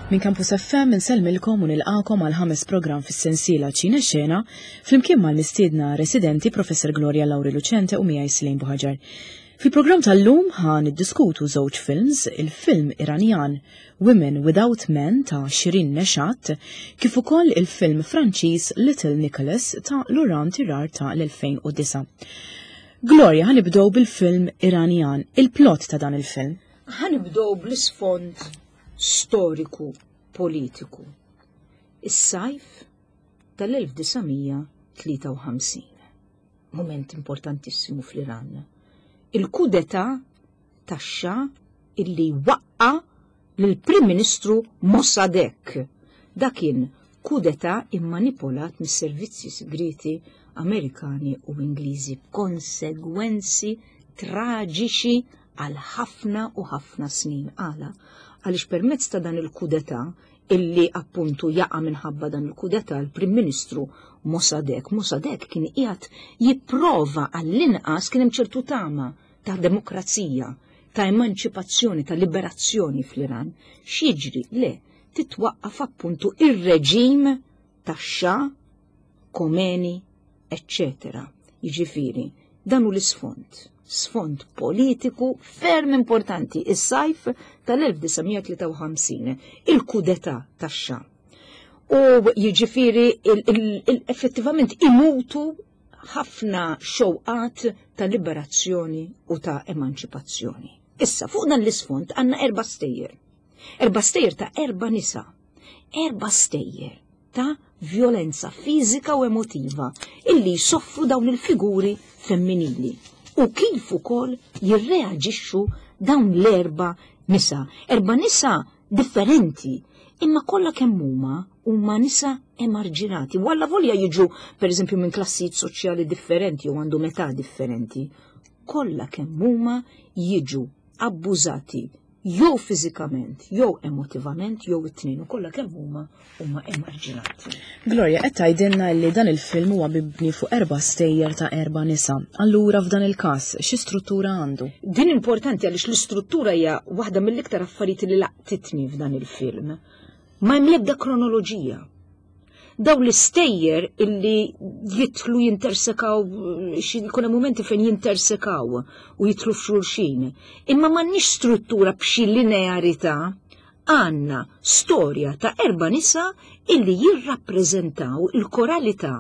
Minn Campus FM insellmilkom u nilqakom għal ħames programm fis-sensiela Ċine Xena flimkien mal-mistiedna residenti Professor Gloria Lauri Lucente u miegħi Slejn Buħaġar. Fil-programm tal-lum ħa niddiskutu żewġ films, il-film Iranjan Women Without Men ta' Shirin Neshat, kif ukoll il-film Franċiż Little Nicholas ta' Laurent Tirard ta' l-2009. Gloria, ħa nibdew bil-film Iranjan, il-plot ta' dan il-film. Ħa nibdew bl-isfond storiku politiku. Is-sajf tal-1953. Moment importantissimu fl-Iran. Il-kudeta tax-Xa illi waqqa lill-Prim Ministru Mossadegh. Dak kien kudeta immanipulat mis-servizzi sigrieti Amerikani u Ingliżi b'konsegwenzi traġiċi għal ħafna u ħafna snin. Għala? Għaliex permezz ta' dan il-kudeta illi appuntu jaqa' minħabba dan il-kudeta l-Prim Ministru Mossadegh. Mossadegh kien qiegħed jipprova għall-inqas kien hemm ċertu tama ta' demokrazija, ta' emanċipazzjoni, ta' liberazzjoni fl-Iran. X'jiġri? Le, titwaqqaf appuntu ir-reġim tax-Xa, Khomeini, eccetera. Jiġifieri, dan hu l-isfond, sfond politiku ferm importanti, is-sajf tal-1953, il-kudeta tax-Xa. U jiġifieri effettivament imutu ħafna xewqat ta' liberazzjoni u ta' emanċipazzjoni. Issa, fuq dan l-isfond għandna erba' stejjer. Erba' stejjer ta' erba' nisa. Erba' stejjer ta' vjolenza fiżika u emotiva illi jsoffru dawn il-figuri femminili u kif ukoll jirreaġixxu dawn l-erba' nisa. Erba' nisa differenti, imma kollha kemm huma huma nisa emarġinati. U allavolja jiġu pereżempju minn klassijiet soċjali differenti u għandhom età differenti, kollha kemm huma jiġu abbużati jew fiżikament, jew emotivament, jew it-tnejn u kollha kemm huma huma emarġinati. Gloria, qed tgħidilna li dan il-film huwa mibni fuq erba' stejjer ta' erba' nisa. Allura f'dan il-każ, xi struttura għandu? Din importanti għaliex l-istruttura hija waħda mill-iktar affarijiet li laqtitni f'dan il-film. Ma hemm l-ebda kronoloġija. Dawn l-istejjer illi jidħlu jintersekaw, xi jkun hemm mumenti fejn jintersekaw u jidħlu f'xulxin. Imma m'għandniex struttura b'xi linearità, għandna storja ta' erba' nisa illi jirrappreżentaw il-koralità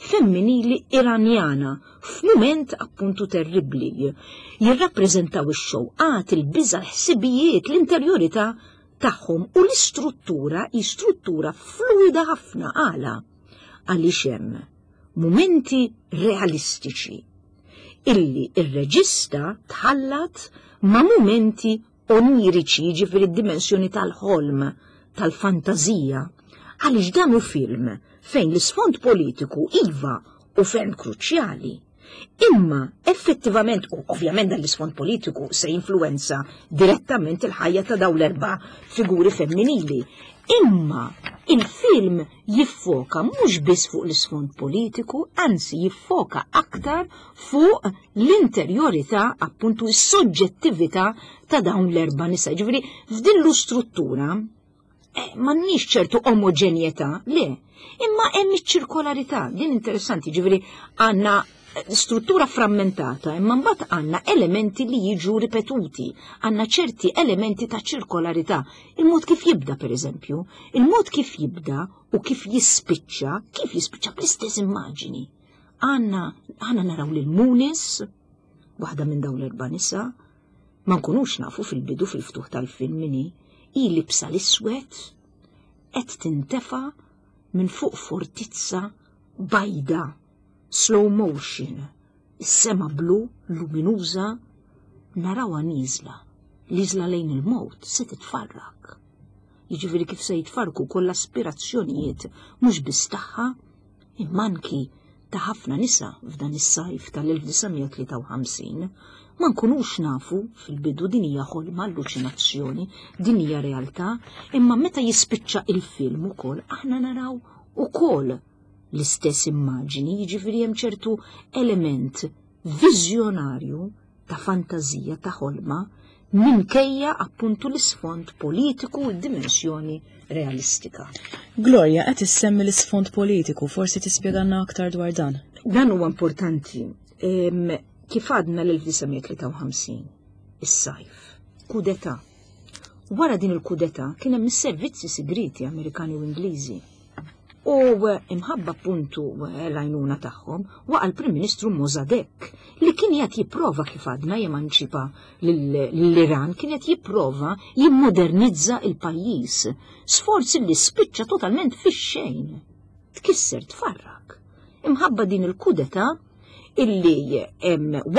femminili Iranjana f'mument appuntu terribbli. Jirrappreżentaw ix-xewqat, il-biża', l-ħsibijiet, l-interjorità tagħhom u l-istruttura hi struttura fluida ħafna għala għaliex hemm mumenti realistiċi illi ir-reġista tħallat ma' mumenti oniriċi, jiġifieri d-dimensjoni tal-ħolm, tal-fantażija. Għaliex dan hu film fejn l-isfond politiku iva u ferm kruċjali. Imma effettivament, u ovvjament dan l-isfond politiku se jinfluwenza direttament il-ħajja ta' dawn l-erba' figuri femminili. Imma il-film jiffoka mhux biss fuq l-isfond politiku, anzi jiffoka aktar fuq l-interjorità, appuntu s-soġġettività ta' dawn l-erba' nisa. Ġifieri f'din l-istruttura Eh, m'għandniex ċertu omoġenjetà, le, imma hemm iċ-ċirkolarità, din interessanti, ġifieri għandna eh, struttura frammentata, imma mbagħad għandna elementi li jiġu ripetuti, għandna ċerti elementi ta' ċirkolarità. Il-mod kif jibda, per eżempju, il-mod kif jibda u kif jispiċċa, kif jispiċċa bl-istess immaġini. Għandna għandna naraw lil Munis, waħda minn dawn l-erba' nisa, Ma nkunux nafu fil-bidu fil-ftuħ tal-film min hi, hi libsa l-iswed qed tintefa' minn fuq fortizza bajda, slow motion, is-sema blu luminuża narawha nieżla, nieżla lejn il-mewt se titfarrak. Jiġifieri kif se jitfarrku wkoll l-aspirazzjonijiet mhux biss tagħha imma anki ta' ħafna nisa f'dan is-sajf tal-1953, ma nkunux nafu fil-bidu din hija ħolma, alluċinazzjoni, din hija realtà, imma meta jispiċċa il-film ukoll aħna naraw ukoll l-istess immaġini, jiġifieri hemm ċertu element viżjonarju ta' fantażija ta' ħolma. minkejja appuntu l-isfond politiku u d-dimensjoni realistika. Gloria, qed issemmi l-isfond politiku, forsi tispjegalna aktar dwar dan. Dan huwa importanti. Kif għadna l-1953, is-sajf, kudeta. Wara din il-kudeta kien hemm is-servizzi sigriti Amerikani u Ingliżi. U imħabba appuntu l-għajnuna tagħhom waqa' l-Prim Ministru Mossadegh li kien qed jipprova kif għadna jemanċipa l-Iran, kien qed jipprova jimmodernizza il-pajjiż. Sforz li spiċċa totalment fix-xejn. Tkisser tfarrak. Imħabba din il-kudeta illi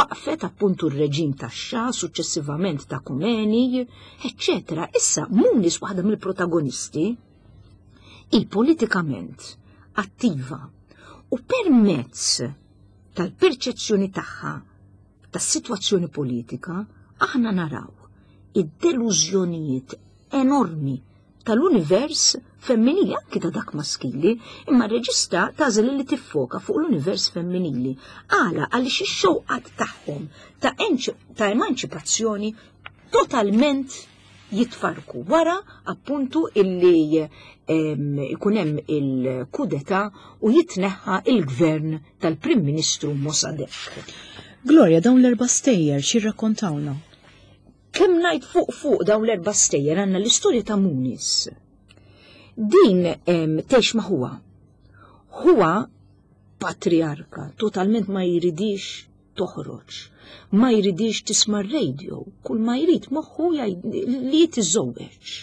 waqfet appuntu r-reġim tax-Xa, suċċessivament ta' Khomeini, eċċetera. Issa Munis waħda mill-protagonisti hi politikament attiva u permezz tal-perċezzjoni tagħha tas-sitwazzjoni politika aħna naraw id-delużjonijiet enormi tal-univers femminili, anki ta' dak maskili, imma r-reġista tagħżel li tiffoka fuq l-univers femminili. Għala għaliex ix-xewqat tagħhom ta', ta' emanċipazzjoni totalment jitfarku wara appuntu illi ikun hemm il-kudeta u jitneħħa il-gvern tal-Prim Ministru Mossadegh. Gloria, dawn l-erba' stejjer x'jirrakkontawna? Kemm ngħid fuq fuq dawn l-erba' stejjer għandna l-istorja ta' Munis. Din tgħix ma' ħuha. Ħuha patriarka, totalment ma jridix toħroġ, ma jridix tisma' r-radio, kull ma jrid moħħu li jitiżżewweġ.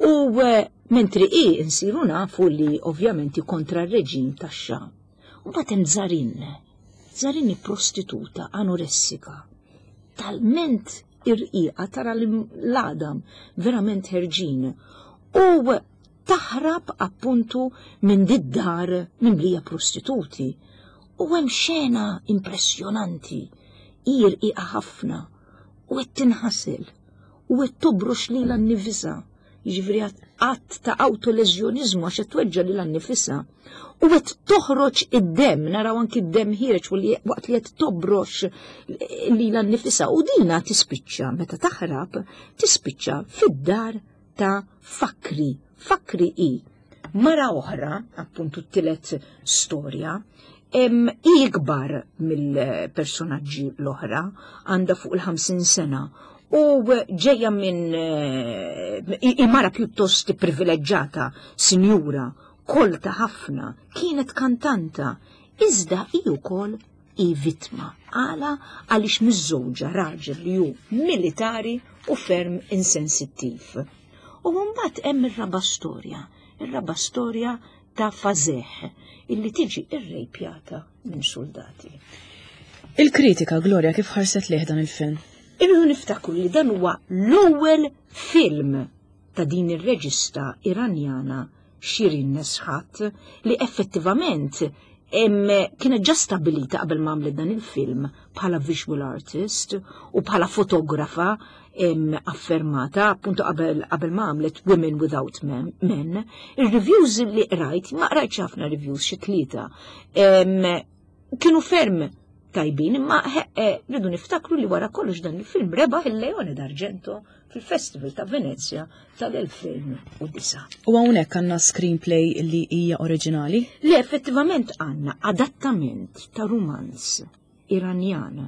U eh, mentri i nsiru nafu li ovvjament kontra r-reġim tax-xa. U mbagħad hemm Zarin. Zarin hi prostituta anoressika. Talment irqiqa tara l-għadam verament ħerġin. U taħrab appuntu minn did-dar mimlija prostituti. U hemm xena impressjonanti, hi rqiqa ħafna u qed tinħasel u qed tobrox lilha nnifisha, jiġifieri att ta' awtoleżjoniżmu għax qed tweġġa' lilha nnifisha u qed toħroġ id-demm, naraw anki d-demm ħiereġ waqt li qed tobrox lilha nnifisha u dina tispiċċa meta taħrab tispiċċa fid-dar ta' Fakri. Fakri hi mara oħra, appuntu t-tielet storja, hi ikbar mill-personaġġi l-oħra, għandha fuq il-50 sena u ġejja minn eh, mara pjuttost privileġġata, sinjura, kolta ħafna, kienet kantanta, iżda hi wkoll hi vittma. Għala għaliex miżżewġa raġel li hu militari u ferm insensittiv. U mbagħad hemm ir-raba' storja, ir-raba' storja ta' Fazeh illi tiġi irrejpjata minn soldati. Il-kritika, Gloria, kif ħarset lejh dan il-film? Irridu niftakru li dan huwa l-ewwel film ta' din ir-reġista Iranjana Shirin Neshat li effettivament kienet ġa stabilita qabel ma għamlet dan il-film bħala visual artist u bħala fotografa affermata appunto qabel ma għamlet Women Without Men. Ir-reviews li qrajt, ma qrajtx ħafna reviews xi tlieta, kienu ferm tajbin, imma eh, rridu niftakru li wara kollox dan il-film rebaħ il-Leone d'Argento fil-Festival ta' Venezia tal-2009. U hawnhekk għandna screenplay li hija oriġinali? Li effettivament għandna adattament ta' rumanz Iranjan.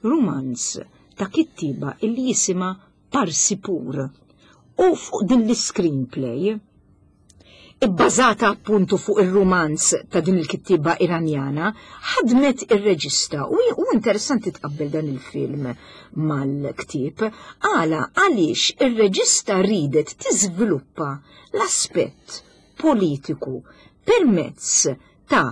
Rumanz ta' kittiba illi jisima Parsipur. U fuq din l-screenplay ibbażata appuntu fuq ir-rumanz ta' din il-kittieba Iranjana, ħadmet ir-reġista u hu interessanti tqabbel dan il-film mal-ktieb. Għala għaliex ir-reġista ridet tiżviluppa l-aspett politiku permezz ta'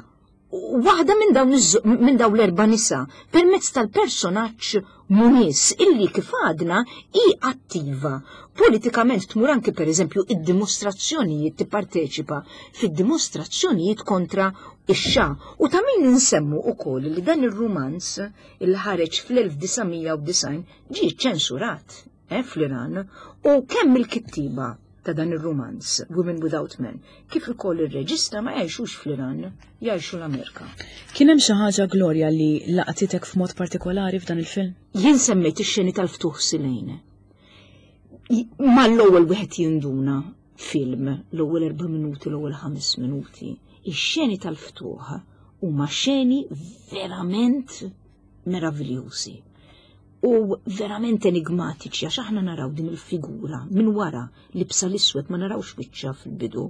waħda minn dawn minn dawn l-erba' nisa permezz tal-personaġġ Muniz illi kif għadna hi attiva politikament tmur anki pereżempju id-dimostrazzjonijiet tipparteċipa fid-dimostrazzjonijiet kontra ix-xa u ta' min insemmu ukoll li dan ir-rumanz il ħareġ fl-1990 ġie ċensurat eh, fl-Iran u kemm il-kittiba ta' dan ir-rumanz Women Without Men, kif ukoll ir-reġista ma jgħixux fl-Iran, jgħixu l-Amerika. Kien hemm xi ħaġa Gloria li laqtitek f'mod partikolari f'dan il-film? Jien semmejt ix-xeni tal-ftuħ Silejn. Mal-ewwel wieħed jinduna film l-ewwel 4 minuti, l-ewwel 5 minuti. Ix-xeni tal-ftuħ huma xeni verament meraviljużi u verament enigmatiċi, għax aħna naraw din il-figura minn wara libsa l-iswed, ma narawx wiċċha fil-bidu,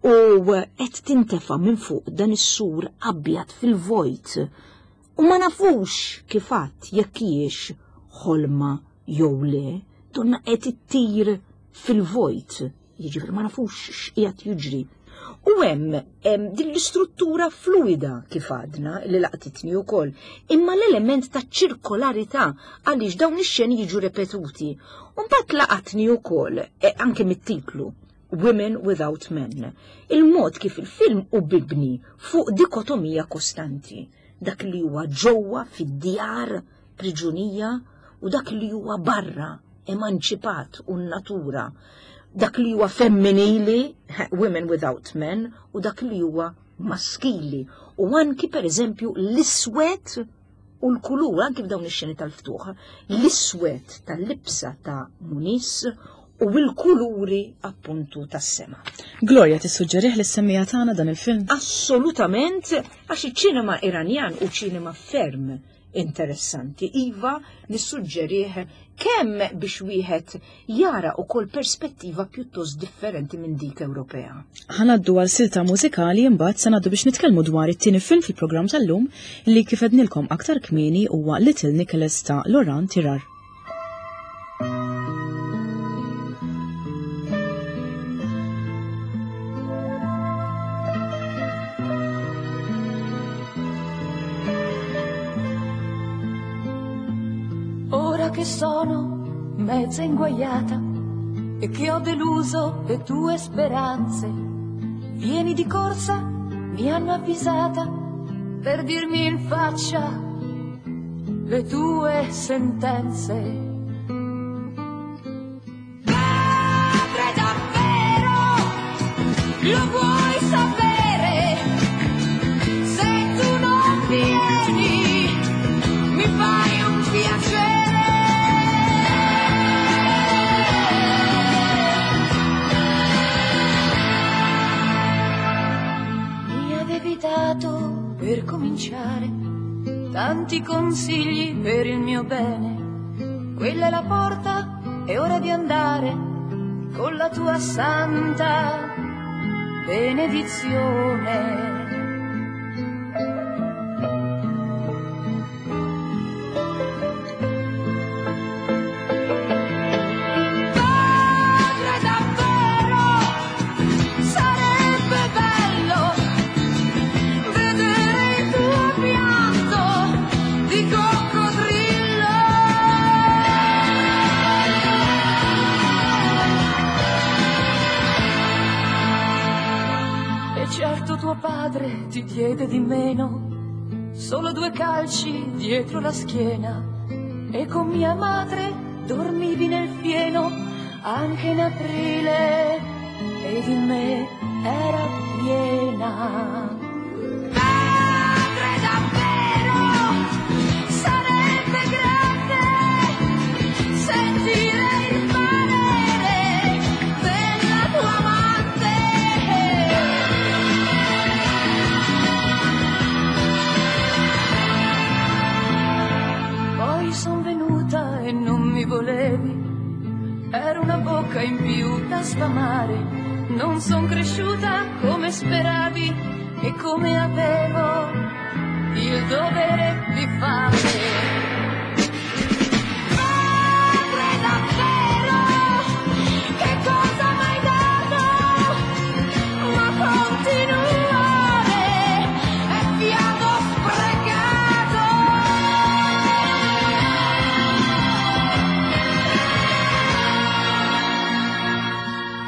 u qed tintefa' minn fuq dan is-sur abjad fil-vojt u ma nafux kif għad jekk hijiex ħolma jew le, donna qed ittir fil-vojt, jiġifieri ma nafux x'qiegħed jiġri. U hemm din l-istruttura fluida kif għadna li laqtitni wkoll, imma l-element ta' ċirkolarità għaliex dawn ix-xeni jiġu repetuti. U mbagħad laqatni wkoll anke mit-titlu Women Without Men. Il-mod kif il-film hu mibni fuq dikotomija kostanti, dak li huwa ġewwa fid-djar priġunija u dak li huwa barra emanċipat u n-natura, dak li huwa femminili, Women Without Men, u dak li huwa maskili. U anki per eżempju l-iswed u l-kulur, anki f'dawn ix-xeni tal-ftuħ, l-iswed tal-libsa ta' Munis u l-kuluri appuntu tas-sema. Gloria, tissuġġerih lis-semmiegħa tagħna dan il-film? Assolutament, għax iċ-ċinema Iranjan hu ċinema ferm interessanti. Iva, nissuġġerih kemm biex wieħed jara ukoll perspettiva pjuttost differenti minn dik Ewropea. Ħa ngħaddu għal silta mużikali, imbagħad se ngħaddu biex nitkellmu dwar it-tieni film fil-programm tal-lum li kif għednilkom aktar kmieni huwa Little Nicholas ta' Laurent Tirard. Ora che sono mezza inguaiata e che ho deluso le tue speranze, vieni di corsa, mi hanno avvisata, per dirmi in faccia le tue sentenze. Padre, davvero, lo vuoi sapere? Se tu non vieni, mi fai un piacere. Mi avevi dato per cominciare tanti consigli per il mio bene. Quella è la porta, è ora di andare con la tua santa benedizione. Padre, davvero, sarebbe bello vedere il tuo pianto di coccodrillo. E certo tuo padre ti diede di meno, solo due calci dietro la schiena. E con mia madre dormivi nel fieno anche in aprile ed in me era piena. Padre, davvero, sarebbe grande sentire il parere della tua amante. Poi son venuta e non mi volevi, era una bocca in più da sfamare. Non son cresciuta come speravi e come avevo il dovere di fare. Padre, davvero, che cosa m'hai dato? Ma continuare è fiato sprecato.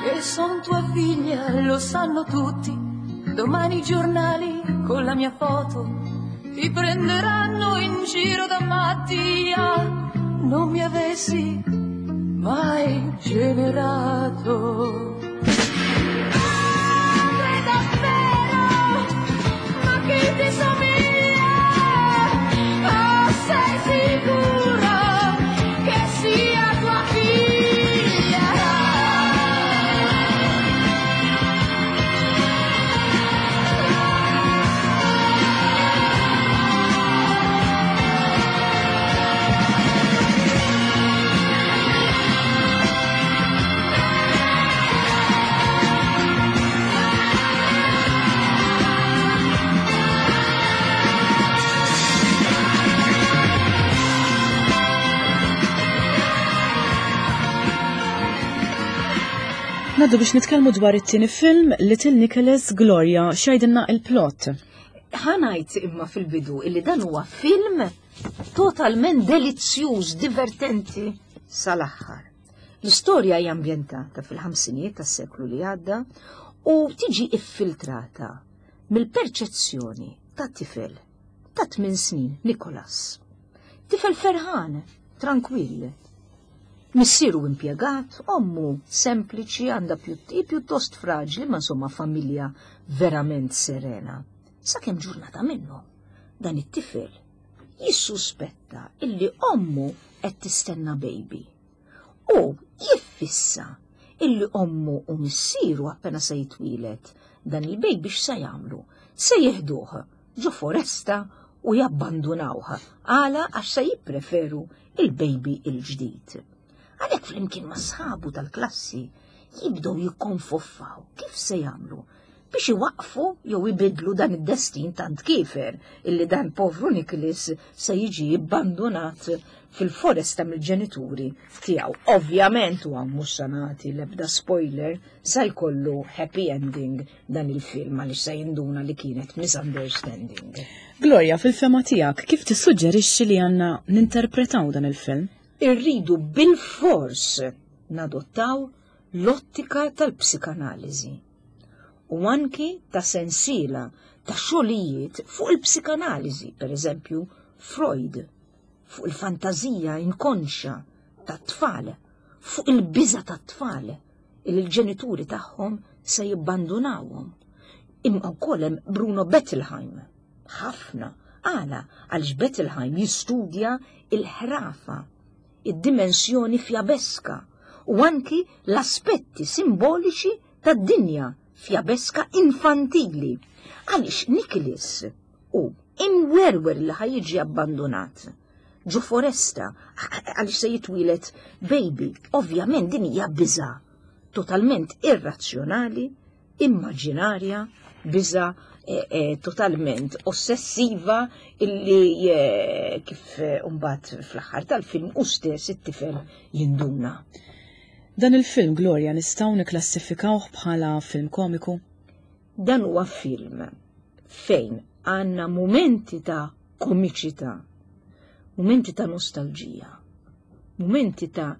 Che son tua figlia, lo sanno tutti. Domani i giornali con la mia foto ti prenderanno in giro da matti. Ah, non mi avessi mai generato. Padre, davvero, ma chi ti somiglia? Oh, sei sicuro che sia tua figlia? Ngħaddu biex nitkellmu dwar it-tieni film Little Nicholas Gloria x'jgħidilna il-plot. Ħa ngħid imma fil-bidu illi dan huwa film totalment delizzjuż, divertenti sal-aħħar. L-istorja hija ambjentata fil-ħamsinijiet tas-seklu li għadda u tiġi iffiltrata mill-perċezzjoni ta' tifel ta' 8 snin, Nicholas. Tifel ferħan, trankwill. Missieru impjegat, ommu sempliċi għandha pjuttost fraġli, ma insomma familja verament serena. Sakemm ġurnata minnu, dan it-tifel jissuspetta illi ommu qed tistenna baby. U jiffissa illi ommu u missieru appena se jitwieled dan il-baby x'se jagħmlu? Se jieħduh ġo foresta u jabbandunawh. Għala għax se jippreferu il-baby il-ġdid. Għalhekk flimkien ma' sħabu tal-klassi jibdew jikkonfoffaw kif se jagħmlu biex iwaqqfu jew ibidlu dan id-destin tant kiefer illi dan povru Nicholas se jiġi abbandunat fil-foresta mill-ġenituri tiegħu. Ovvjament u hawn mhux se nagħti l-ebda spoiler sa jkollu happy ending dan il-film għaliex se jinduna li kienet misunderstanding. Gloria, fil-fehma tiegħek, kif tissuġġerixxi li għandna ninterpretaw dan il-film? Irridu bil-fors nadottaw l-ottika tal-psikanaliżi u anki ta' sensiela ta' xogħlijiet fuq il-psikanaliżi, per eżempju Freud, fuq il-fantażija inkonxja tat-tfal, fuq il-biża' tat-tfal li l-ġenituri tagħhom se jibbandunawhom. Imma wkoll hemm Bruno Bettelheim. Ħafna. Għala għaliex Bettelheim jistudja il-ħrafa, id-dimensjoni fjabeska u anki l-aspetti simboliċi tad-dinja fjabeska infantili. Għaliex Nicholas hu imwerwer li ħa jiġi abbandunat ġo foresta għaliex se jitwieled baby. Ovvjament din hija biża totalment irrazzjonali, immaġinarja, biża totalment ossessiva illi kif mbagħad fl-aħħar tal-film u stess it-tifel jinduna. Dan il-film, Gloria, nistgħu niklassifikawh bħala film komiku? Dan huwa film fejn għandna mumenti ta' komiċità, mumenti ta' nostalġija, mumenti ta'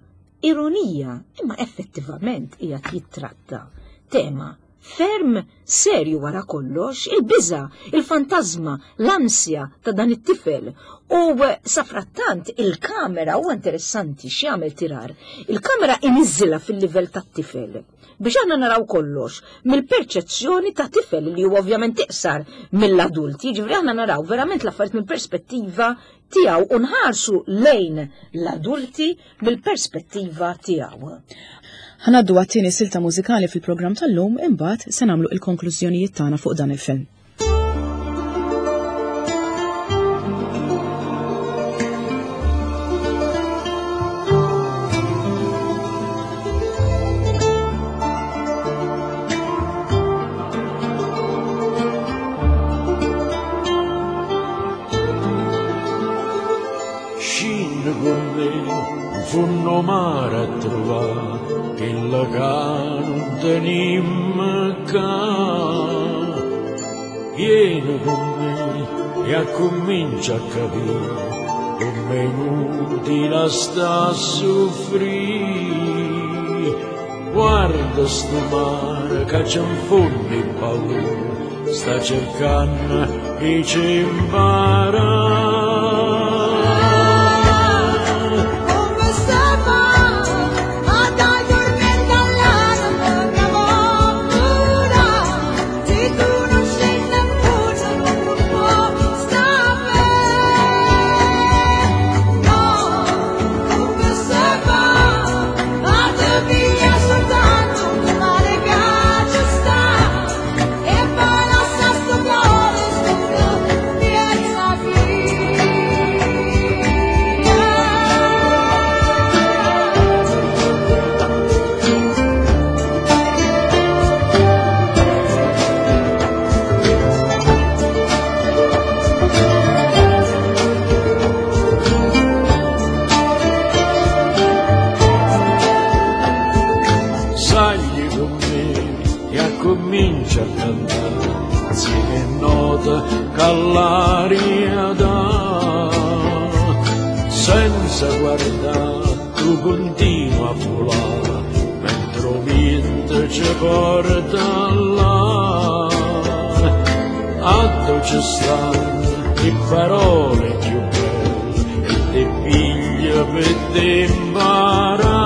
ironija, imma effettivament qiegħed jittratta tema ferm serju wara kollox, il-biża, il-fantażma, l-ansja ta' dan it-tifel. U safrattant il-kamera huwa interessanti x'jagħmel tirar. Il-kamera iniżżilha fil-livell tat-tifel biex aħna naraw kollox mill-perċezzjoni ta' tifel li huwa ovvjament iqsar mill-adulti, jiġifieri aħna naraw verament l-affarijiet mill-perspettiva tiegħu u nħarsu lejn l-adulti mill-perspettiva tiegħu. Ħa ngħaddu għat-tieni silta mużikali fil-programm tal-lum, imbagħad se nagħmlu il-konklużjonijiet tagħna fuq dan il-film. Scende con me, in fondo mare a trovare quella che non tenim ca. Vieni con me e accomincia a capire come è inutile sta a soffrire. Guarda sto mare che c'è in fondo e paura, sta cercando e ci impara. Come se fa a dai tormenta all'anima che paura, se tu non scendi in fondo non può stare. No, come se fa a te via soltanto un mare che ci sta e poi lascia sto cuore solo piazza via. Insieme 'e note ca ll'aria dà. Senza guardà tu continui a vulà, mentre 'o viento ce porta là. Addò ce stanno 'e parole cchiù belle e t' 'e piglie pe t' 'e 'mparà.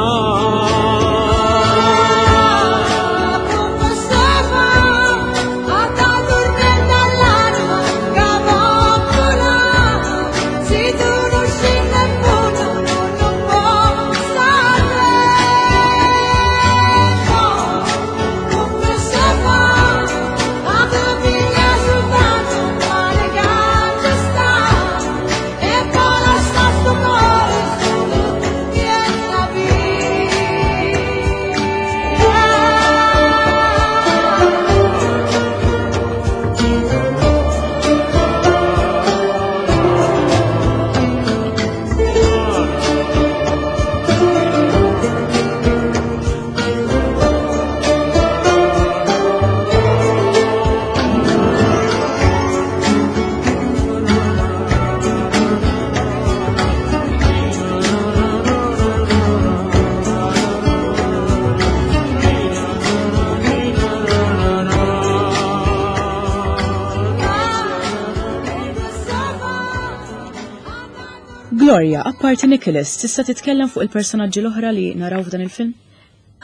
Gloria, apparti Nicholas, tista' titkellem fuq il-personaġġi l-oħra li naraw f'dan il-film?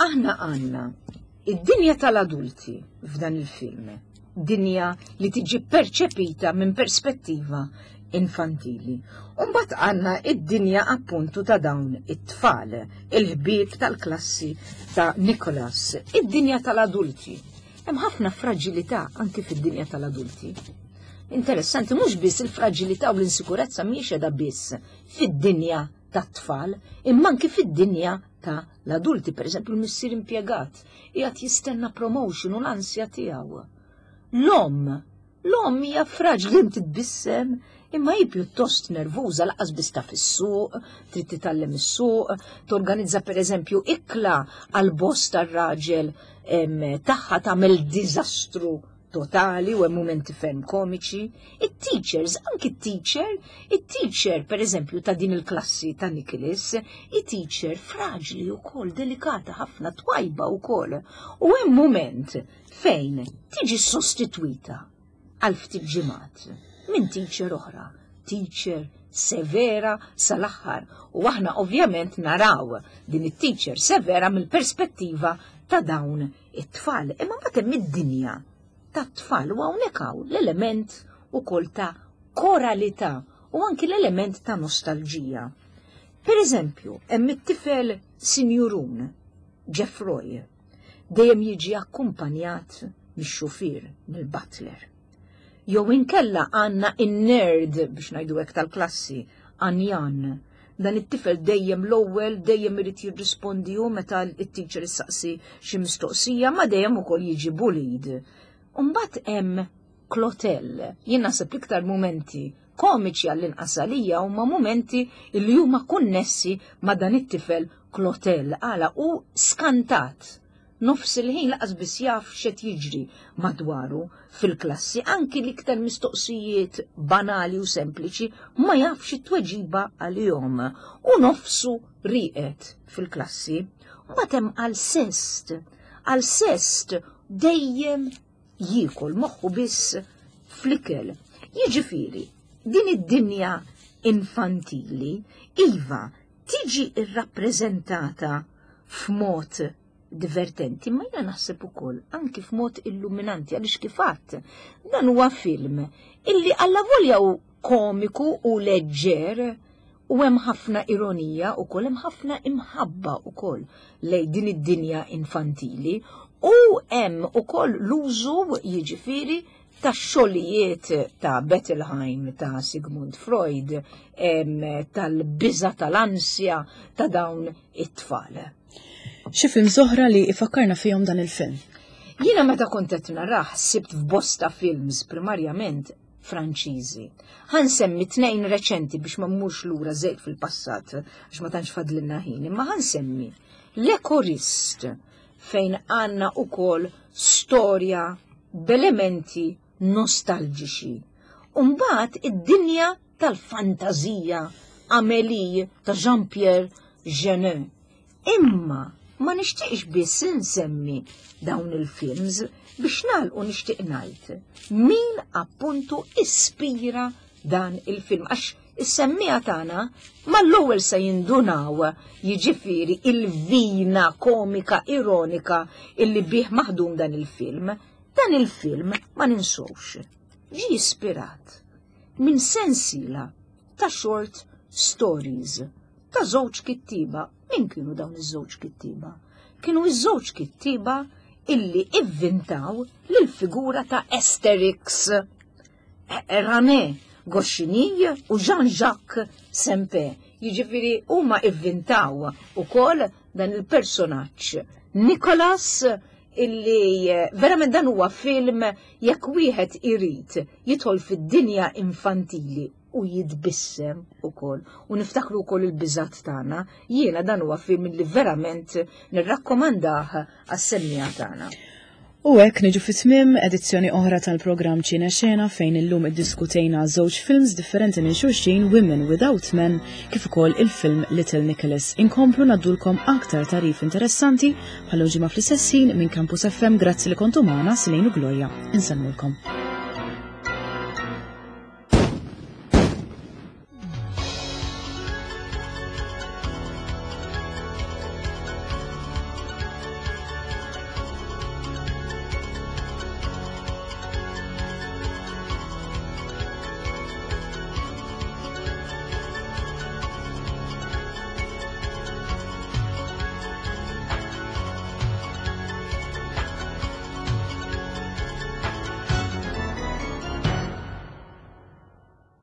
Aħna għandna id-dinja tal-adulti f'dan il-film, dinja li tiġi perċepita minn perspettiva infantili. Umbat għanna id-dinja appuntu ta' dawn it-tfal, il-ħbieb tal-klassi ta' Nicholas, id-dinja tal-adulti. Hemm ħafna fragilità anki fid-dinja tal-adulti. Interessanti mhux biss il-fragilità u l-insikurezza mhijiex qiegħda biss fid-dinja tat-tfal, imma anki fid-dinja ta' l-adulti, per eżempju l-missier impjegat, qiegħed jistenna promotion u l-ansja tiegħu. L-omm, l-omm hija fraġli titbissem, imma hi pjuttost nervuża laqas biss taf is-suq, trid titgħallem is-suq, torganizza pereżempju ikla għal boss tar-raġel tagħha tagħmel diżastru totali u hemm mumenti ferm komiċi. It-teachers, anki t-teacher, it-teacher per eżempju ta' din il-klassi ta' Nicholas, it-teacher fraġli u kol, delikata ħafna, twajba u kol. U hemm moment fejn tiġi sostitwita għal ftit ġimgħat minn teacher oħra, teacher severa sal-aħħar. U aħna ovvjament naraw din it-teacher severa mill-perspettiva ta' dawn it-tfal. Imma mbagħad hemm id-dinja tat-tfal u hawnhekk hawn l-element ukoll ta' koralità u anki l-element ta' nostalġija. Per eżempju, hemm it-tifel Sinjurun, Jeffroy, dejjem jiġi akkumpanjat mix-xufier, mill-butler. Jew inkella għandna in-nerd biex ngħidu hekk tal-klassi, Anjan. Dan it-tifel dejjem l-ewwel, dejjem irid jirrispondi hu meta t-teacher issaqsi xi mistoqsija, ma dejjem ukoll jiġi bullied. Umbagħad hemm Clotel. Jien naħseb l-iktar mumenti komiċi għall-inqas għalija huma mumenti li huma konnessi ma' dan it-tifel Clotel għala hu skantat. Nofs il-ħin laqas biss jaf x'qed jiġri madwaru fil-klassi, anki l-iktar mistoqsijiet banali u sempliċi ma jafx it-tweġiba għalihom u nofsu rieqed fil-klassi. Mbagħad hemm Alceste. Alceste dejjem jiekol moħħu biss fl-ikel. Jiġifieri, din id-dinja infantili, iva, tiġi rrappreżentata f'mod divertenti, ma jiena naħseb ukoll anki f'mod illuminanti għaliex kif għadt dan huwa film illi allavolja hu komiku u leġġer u hemm ħafna ironija ukoll hemm ħafna imħabba ukoll lej din id-dinja infantili u hemm ukoll l-użu jiġifieri tax-xogħlijiet ta' Bettelheim, ta' Sigmund Freud, tal-biża' tal-ansja ta' dawn it-tfal. Xi films oħra li ifakkarna fihom dan il-film? Jiena meta kont qed narah sibt f'bosta films primarjament Franċiżi. Ħa nsemmi tnejn reċenti biex ma mmurx lura żejt fil-passat għax ma tantx fadlilna ħin, imma ħa nsemmi L'Ecorist fejn għandna ukoll storja b'elementi nostalġiċi. U mbagħad id-dinja tal-fantażija Amélie ta' Jean-Pierre Jeunet. Imma ma nixtieqx biss insemmi dawn il-films biex nagħlqu nixtieq ngħid min appuntu ispira dan il-film għax is-semmiegħa tagħna mal-ewwel se jindunaw jiġifieri il-vina komika ironika illi bih maħdum dan il-film. Dan il-film ma ninsewx ġie ispirat minn sensiela ta' short stories ta' żewġ kittieba. Min kienu dawn iż-żewġ kittieba? Kienu iż-żewġ kittieba illi ivvintaw lill-figura ta' Asterix. René Goscinny u Jean-Jacques Sempé. Jiġifieri huma ivvintaw ukoll dan il-personaġġ Nicholas illi eh, verament dan huwa film jekk wieħed irid jidħol fid-dinja infantili u jitbissem ukoll u niftakru wkoll il-biżat tagħna, jiena dan huwa film li verament nirrakkomandah għas-semmiegħa tagħna. U hekk niġu fi tmiem edizzjoni oħra tal-programm Ċine Xena fejn illum iddiskutejna żewġ films differenti minn xulxin Women Without Men kif ukoll il-film Little Nicholas. Inkomplu naddulkom aktar tarif interessanti bħal ġimgħa fl-istess ħin minn Campus FM grazzi li kontu magħna Silejn u Gloria. Insellmulkom.